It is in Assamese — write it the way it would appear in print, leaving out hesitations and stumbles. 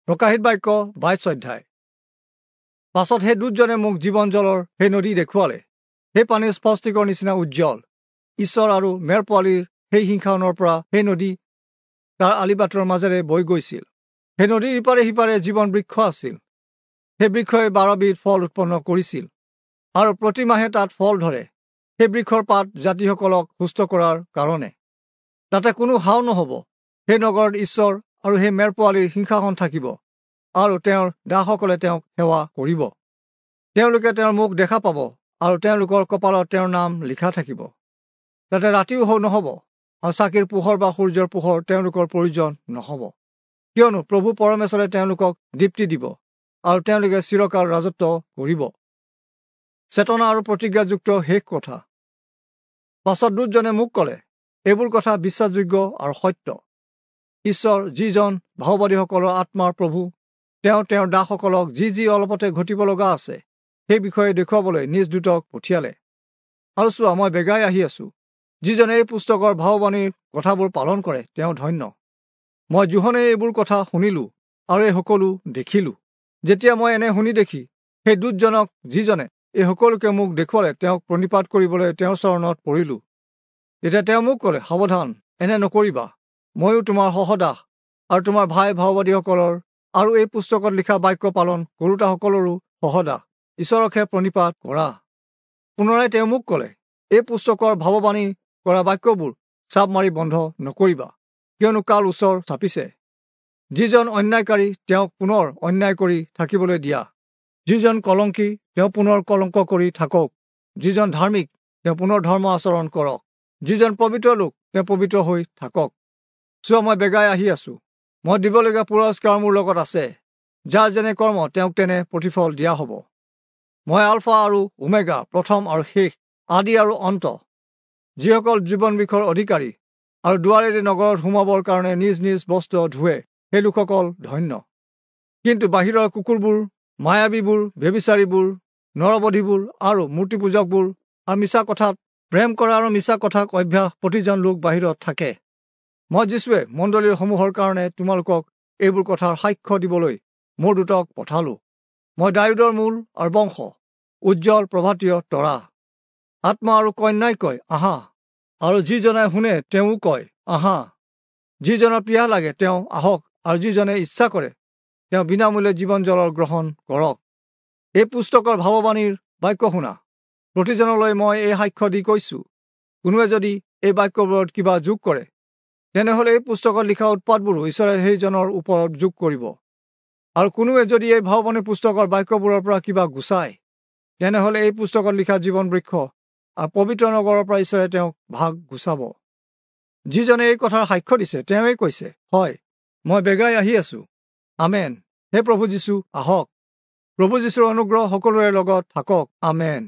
প্ৰকাশিত বাক্য 22 অধ্যায়। পাছত সেই দূতজনে মোক জীৱন জলৰ সেই নদী দেখুৱালে। সেই পানী স্ফটিকৰ নিচিনা উজ্জ্বল। ঈশ্বৰ আৰু মেৰ পোৱালীৰ সেই সিংহাসনৰ পৰা সেই নদী তাৰ আলিবাটৰ মাজেৰে বৈ গৈছিল। সেই নদীৰ ইপাৰে সিপাৰে জীৱন বৃক্ষ আছিল। সেই বৃক্ষই 12বিধ ফল উৎপন্ন কৰিছিল আৰু প্ৰতিমাহে তাত ফল ধৰে। সেই বৃক্ষৰ পাত জাতিসকলক সুস্থ কৰাৰ কাৰণে। তাতে কোনো হাও নহ'ব। সেই নগৰত ঈশ্বৰ আৰু সেই মেৰ পোৱালীৰ সিংহাসন থাকিব আৰু তেওঁৰ দাসসকলে তেওঁক সেৱা কৰিব। তেওঁলোকে তেওঁৰ মুখ দেখা পাব আৰু তেওঁলোকৰ কপালত তেওঁৰ নাম লিখা থাকিব। তাতে ৰাতিও নহ'ব আৰু চাকিৰ পোহৰ বা সূৰ্যৰ পোহৰ তেওঁলোকৰ প্ৰয়োজন নহ'ব, কিয়নো প্ৰভু পৰমেশ্বৰে তেওঁলোকক দীপ্তি দিব আৰু তেওঁলোকে চিৰকাল ৰাজত্ব কৰিব। চেতনা আৰু প্ৰতিজ্ঞাযুক্ত শেষ কথা। পাছত দূতজনে মোক ক'লে, এইবোৰ কথা বিশ্বাসযোগ্য আৰু সত্য। ঈশ্বৰ যিজন ভাওবাদীসকলৰ আত্মাৰ প্ৰভু, তেওঁ তেওঁৰ দাসসকলক যি যি অলপতে ঘটিব লগা আছে সেই বিষয়ে দেখুৱাবলৈ নিজ দূতক পঠিয়ালে। আৰু চোৱা, মই বেগাই আহি আছো। যিজনে এই পুস্তকৰ ভাওবাণীৰ কথাবোৰ পালন কৰে তেওঁ ধন্য। মই যোহনে এইবোৰ কথা শুনিলো আৰু এই সকলো দেখিলো। যেতিয়া মই এনে শুনি দেখি সেই দূতজনক যিজনে এই সকলোকে মোক দেখুৱালে তেওঁক প্ৰণিপাত কৰিবলৈ তেওঁৰ চৰণত পৰিলো। তেতিয়া তেওঁ মোক ক'লে, সাৱধান, এনে নকৰিবা। ময়ো তোমাৰ সহদাস আৰু তোমাৰ ভাই ভাওবাদীসকলৰ আৰু এই পুস্তকত লিখা বাক্য পালন কৰোতাসকলৰো সহদাস। ঈশ্বৰকহে প্ৰণিপাত কৰা। পুনৰাই তেওঁ মোক ক'লে, এই পুস্তকৰ ভাৱবাণী কৰা বাক্যবোৰ চাপ মাৰি বন্ধ নকৰিবা, কিয়নো কাল ওচৰ চাপিছে। যিজন অন্যায়কাৰী তেওঁক পুনৰ অন্যায় কৰি থাকিবলৈ দিয়া, যিজন কলংকী তেওঁ পুনৰ কলংক কৰি থাকক, যিজন ধাৰ্মিক তেওঁ পুনৰ ধৰ্ম আচৰণ কৰক, যিজন পবিত্ৰ লোক তেওঁ পবিত্ৰ হৈ থাকক। চোৱা, মই বেগাই আহি আছো। মই দিবলগীয়া পুৰস্কাৰ মোৰ লগত আছে। যাৰ যেনে কৰ্ম তেওঁক তেনে প্ৰতিফল দিয়া হ'ব। মই আলফা আৰু ওমেগা, প্ৰথম আৰু শেষ, আদি আৰু অন্ত। যিসকল জীৱন বৃক্ষৰ অধিকাৰী আৰু দুৱাৰেৰে নগৰত সোমাবৰ কাৰণে নিজ নিজ বস্ত্ৰ ধুৱে, সেই লোকসকল ধন্য। কিন্তু বাহিৰৰ কুকুৰবোৰ, মায়াবীবোৰ, ব্যভিচাৰীবোৰ, নৰবধীবোৰ আৰু মূৰ্তিপূজকবোৰ আৰু মিছা কথাত প্ৰেম কৰা আৰু মিছা কথাক অভ্যাস প্ৰতিজন লোক বাহিৰত থাকে। মই যীশুৱে মণ্ডলীৰ সমূহৰ কাৰণে তোমালোকক এইবোৰ কথাৰ সাক্ষ্য দিবলৈ মোৰ দূতক পঠালো। মই দায়ূদৰ মূল আৰু বংশ, উজ্জ্বল প্ৰভাতীয় তৰা। আত্মা আৰু কন্যাই কয়, আহা। আৰু যিজনে শুনে তেওঁও কয়, আহা। যিজনৰ পিয়াহ লাগে তেওঁ আহক, আৰু যিজনে ইচ্ছা কৰে তেওঁ বিনামূল্যে জীৱন জলৰ গ্ৰহণ কৰক। এই পুস্তকৰ ভাৱবাণীৰ বাক্য শুনা প্ৰতিজনলৈ মই এই সাক্ষ্য দি কৈছো, কোনোৱে যদি এই বাক্যবোৰত কিবা যোগ কৰে, তেনেহ'লে এই পুস্তকত লিখা উৎপাতবোৰো ঈশ্বৰে সেইজনৰ ওপৰত যোগ কৰিব। আৰু কোনোৱে যদি এই ভাৱবাণী পুস্তকৰ বাক্যবোৰৰ পৰা কিবা গুচায়, তেনেহ'লে এই পুস্তকত লিখা জীৱন বৃক্ষ আৰু পবিত্ৰ নগৰৰ পৰা ঈশ্বৰে তেওঁক ভাগ গুচাব। যিজনে এই কথাৰ সাক্ষ্য দিছে তেওঁৱেই কৈছে, হয়, মই বেগাই আহি আছো। আমেন। হে প্ৰভু যীশু, আহক। প্ৰভু যীশুৰ অনুগ্ৰহ সকলোৰে লগত থাকক। আমেন।